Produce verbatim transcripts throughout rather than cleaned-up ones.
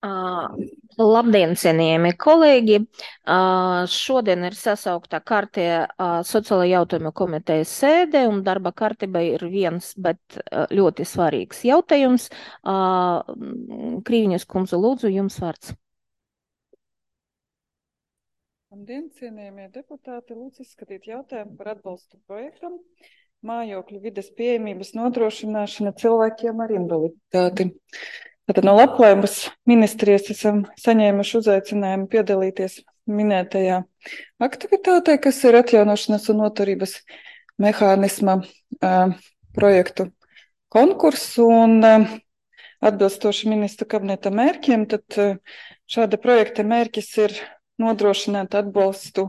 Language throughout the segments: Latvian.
Uh, Labdien, cienījamie kolēģi! Uh, Šodien ir sasaukta kārtē uh, sociālo jautājumu komitejas sēde, un darba kārtība ir viens, bet uh, ļoti svarīgs jautājums. Uh, Krīviņas kundze, lūdzu, jums vārds. Labdien, cienījamie deputāti! Lūdzu izskatīt jautājumu par atbalstu projektam mājokļu vides pieejamības nodrošināšana cilvēkiem ar invaliditāti. Tātad no Labklājības ministrijas esam saņēmuši uzaicinājumu piedalīties minētajā aktivitātē, kas ir atjaunošanas un noturības mehānisma uh, projektu konkursu un uh, atbilstoši ministra kabineta mērķiem, tad uh, šāda projekta mērķis ir nodrošināt atbalstu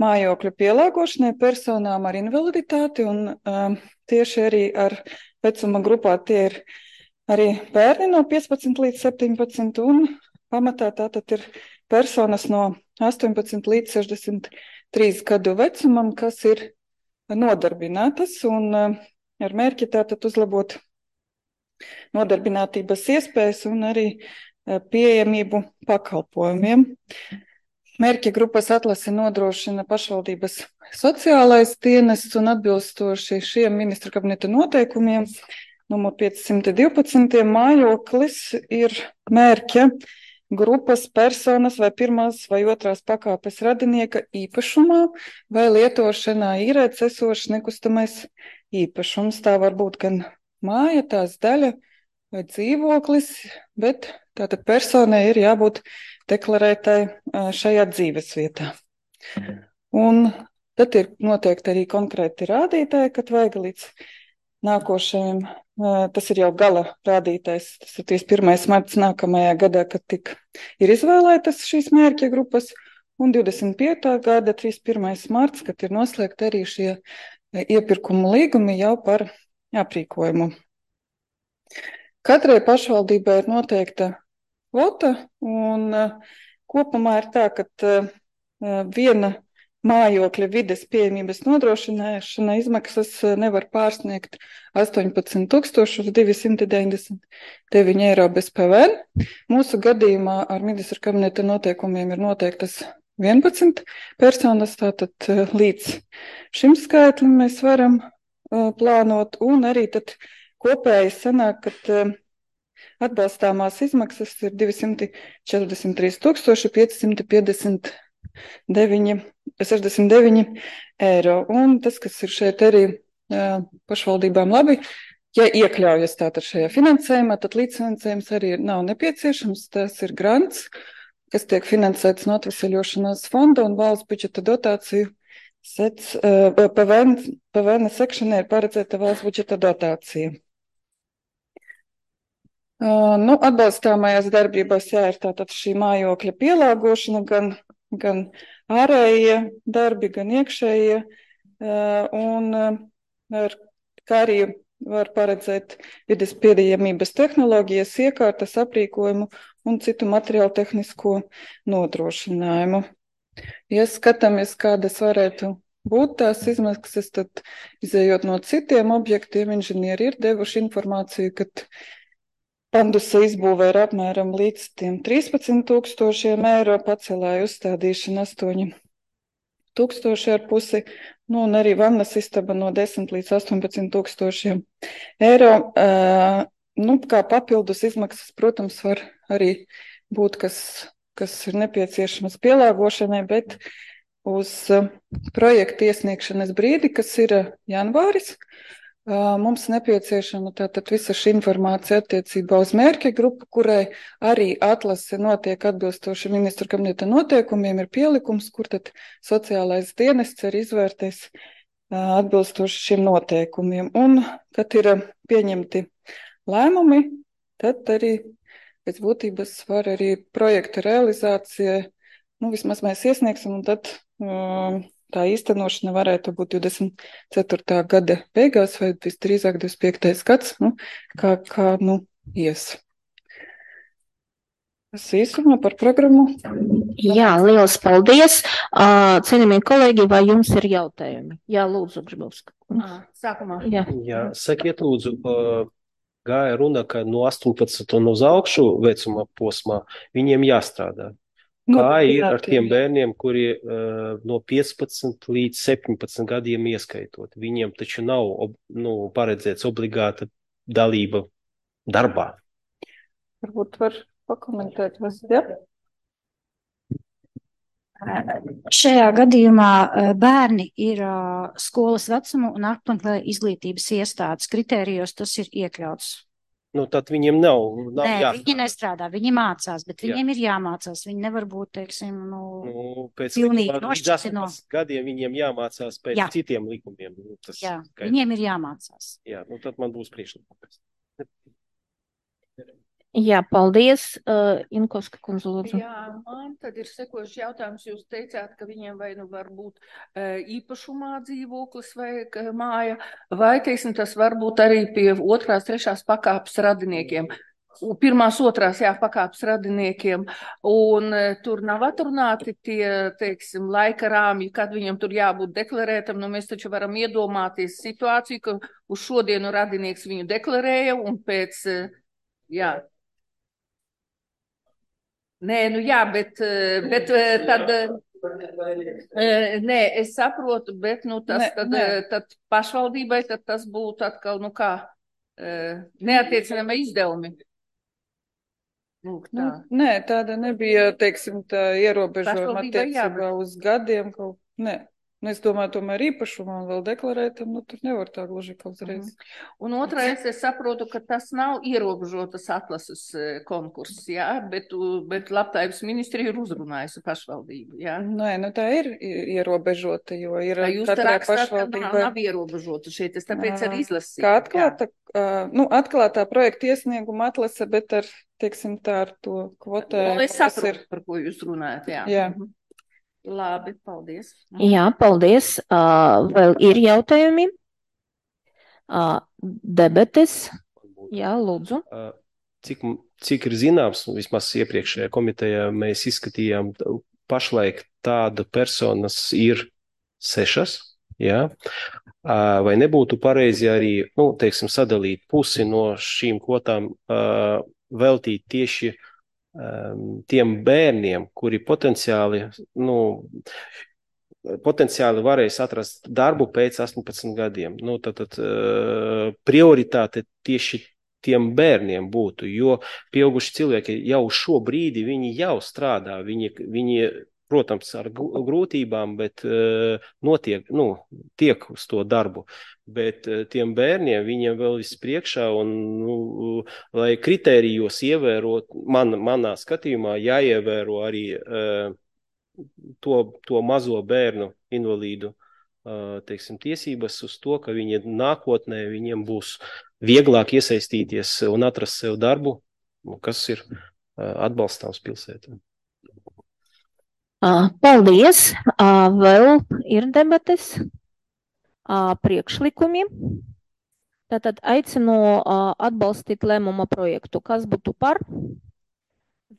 mājokļu pielāgošanai personām ar invaliditāti un uh, tieši arī ar vecuma grupā tie ir arī bērni no piecpadsmit līdz septiņpadsmit un pamatā tātad ir personas no astoņpadsmit līdz sešdesmit trīs gadu vecumam, kas ir nodarbinātas un uh, ar mērķi tātad uzlabot nodarbinātības iespējas un arī uh, pieejamību pakalpojumiem. Mērķa grupas atlasi nodrošina pašvaldības sociālais dienests un atbilstoši šiem ministra kabineta noteikumiem numur piecsimt divpadsmit mājoklis ir mērķa grupas personas vai pirmās vai otrās pakāpes radinieka īpašumā vai lietošanā īrēts esošs nekustamais īpašums. Tā var būt gan māja, tās daļa vai dzīvoklis, bet tātad personai ir jābūt deklarētai šajā dzīves vietā. Un tad ir noteikti arī konkrēti rādītāji, kad vajag līdz nākošajam, tas ir jau gala rādītājs, tas ir trīsdesmit pirmais marts nākamajā gadā, kad tik ir izvēlētas šīs mērķa grupas, un divdesmit piekta gada trīsdesmit pirmais marts, kad ir noslēgti arī šie iepirkumu līgumi jau par aprīkojumu. Katrai pašvaldībai ir noteikta kvota, un kopumā ir tā, ka viena mājokļa vides pieejamības nodrošināšana izmaksas nevar pārsniegt astoņpadsmit tūkstoši divsimt deviņdesmit deviņi eiro bez P V N. Mūsu gadījumā ar ministra kabineta noteikumiem ir noteiktas vienpadsmit personas, tātad līdz šim skaitlim mēs varam uh, plānot, un arī tad kopēji sanāk, ka uh, atbalstāmās izmaksas ir divsimt četrdesmit trīs tūkstoši piecsimt piecdesmit deviņi sešdesmit deviņi eiro. Un tas, kas ir šeit arī jā, pašvaldībām labi, ja iekļaujas tātad šajā finansējumā, tad līdzfinansējums arī nav nepieciešams. Tas ir grants, kas tiek finansēts no atveseļošanās fonda un valsts budžeta dotāciju sec, uh, P V N, P V N sekšanai ir paredzēta valsts budžeta dotācija. Uh, nu, atbalstāmajās darbībās jā, ir tātad šī mājokļa pielāgošana, gan, gan ārējie darbi, gan iekšējie, un ar, kā arī var paredzēt vides pieejamības tehnoloģijas, iekārtas, aprīkojumu un citu materiālu tehnisko nodrošinājumu. Ja skatāmies, kādas varētu būt tās izmaksas, tad izējot no citiem objektiem, inženieri ir devuši informāciju, ka pandusa izbūve ir apmēram līdz tiem trīspadsmit tūkstošiem eiro, pacelāja uzstādīšana astoņi tūkstoši ar pusi, nu un arī vannas istaba no desmit līdz astoņpadsmit tūkstošiem eiro. Uh, nu, kā papildus izmaksas, protams, var arī būt, kas, kas ir nepieciešamas pielāgošanai, bet uz uh, projekta iesniegšanas brīdi, kas ir uh, janvāris, mums nepieciešama tātad visa šī informācija attiecībā uz mērķa grupu, kurai arī atlase notiek atbilstoši ministra kabineta noteikumiem, ir pielikums, kur tad sociālais dienests arī izvērtēs atbilstoši šiem noteikumiem. Un, kad ir pieņemti lēmumi, tad arī pēc būtības var arī projekta realizācija, nu vismaz mēs iesniegsim, un tad um, tā īstenošana varētu būt divdesmit ceturtā gada beigās vai visdrīzāk divdesmit piektais gads, nu, kā, kā nu, ies. Tas īsumā par programmu. Jā, liels paldies. Cienījamie kolēģi, vai jums ir jautājumi? Jā, lūdzu, Grzybovska. Sākumā. Jā, Jā sakiet lūdzu, gāja runa, ka no astoņpadsmit un uz augšu vecuma posmā viņiem jāstrādā. Nu, Kā ir jā, ar tiem bērniem, kuri uh, no piecpadsmit līdz septiņpadsmit gadiem ieskaitot? Viņiem taču nav ob, nu, paredzēts obligāta dalība darbā. Varbūt var pakomentēt, vas, ja? Šajā gadījumā bērni ir skolas vecumu un apmeklē izglītības iestādes kritērijos, tas ir iekļauts. Nu, tad viņiem nav, nav Nē, jāstrādā. viņi nestrādā, viņi mācās, bet Jā. viņiem ir jāmācās. Viņi nevar būt, teiksim, nu, Nu, pēc pilnīgi likuma, līdz nošķirti no. astoņpadsmit gadiem viņiem jāmācās pēc Jā. citiem likumiem. Nu, tas Jā, skaidrs. viņiem ir jāmācās. Jā, nu tad man būs priekšlikums. Jā, paldies. Uh, Inkovska kundze, lūdzu. Jā, man tad ir sekošs jautājums. Jūs teicāt, ka viņiem vai nu var būt uh, īpašumā dzīvoklis vai ka māja, vai, teiksim, tas var būt arī pie otrās, trešās pakāpes radiniekiem. Pirmās, otrās, jā, pakāpes radiniekiem. Un uh, tur nav atrunāti tie, teiksim, laika rāmji, kad viņam tur jābūt deklarētam. Nu, mēs taču varam iedomāties situāciju, ka uz šodienu radinieks viņu deklarēja un pēc, uh, jā. Nē, nu jā, bet, bet tad, nē, es saprotu, bet, nu, tas Nē, tad, nē. tad pašvaldībai, tad tas būtu atkal, nu kā, neatiecinama izdevumi. Lūk, Nu, tā. nē, tāda nebija, teiksim, tā ierobežojuma Pašvaldībai jā, attiecībā uz gadiem kaut, nē. Nu, es domāju, tomēr īpašumā vēl deklarētam, nu, tur nevar tā gluži kaut uzreiz. Un otrais, es saprotu, ka tas nav ierobežotas atlases eh, konkurss, jā, bet, u- bet labklājības ministrija ir uzrunājusi pašvaldību, jā. Nē, nu tā ir i- ierobežota, jo ir Vai jūs te katrai rakstāt, ka nav, pašvaldībai. nav ierobežota šeit, es tāpēc Ā, arī izlasīju. Kā jā. atklāta, ā, nu, atklātā projekta iesnieguma atlase, bet ar, teiksim, tā ar to kvotējumu. Nu, es kas saprotu, ir- par ko jūs runājat, jā. Jā. Mhm. Labi, paldies. Jā, paldies. Uh, vēl ir jautājumi? Uh, debetes? Jā, lūdzu. Uh, Cik, cik ir zināms, vismaz iepriekšējā komitejā mēs izskatījām, t- pašlaik tāda personas ir sešas, jā. Uh, Vai nebūtu pareizi arī, nu, teiksim, sadalīt pusi no šīm kvotām, uh, veltīt tieši um, tiem bērniem, kuri potenciāli, nu, potenciāli varēs atrast darbu pēc astoņpadsmit gadiem. Nu, tad, tad uh, prioritāte tieši tiem bērniem būtu, jo pieauguši cilvēki jau šo brīdi viņi jau strādā, viņi, viņi protams, ar gu- grūtībām, bet uh, notiek, nu, tiek uz to darbu. Bet uh, tiem bērniem viņiem vēl viss priekšā, un, nu, lai kritērijos ievērot, man, manā skatījumā jāievēro arī uh, to, to mazo bērnu invalīdu ā, teiksim, tiesības uz to, ka viņi nākotnē viņiem būs vieglāk iesaistīties un atrast sev darbu, kas ir ā, atbalstāms pilsētā. Uh, paldies. Uh, vēl ir debates? Uh, priekšlikumi? Tātad aicinu uh, atbalstīt lēmuma projektu. Kas būtu par?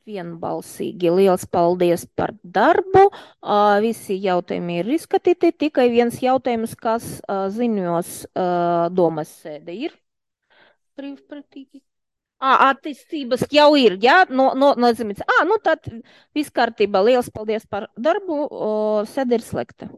Vienbalsīgi. Liels paldies par darbu. Uh, visi jautājumi ir izskatīti. Tikai viens jautājums, kas uh, ziņos uh, domas sēde ir. Brīvprātīgi. Ā, attīstības jau ir, jā? No, no, nozīmīts. Ā, nu tad viss kārtībā. Liels paldies par darbu. Uh, sēde ir slēgta.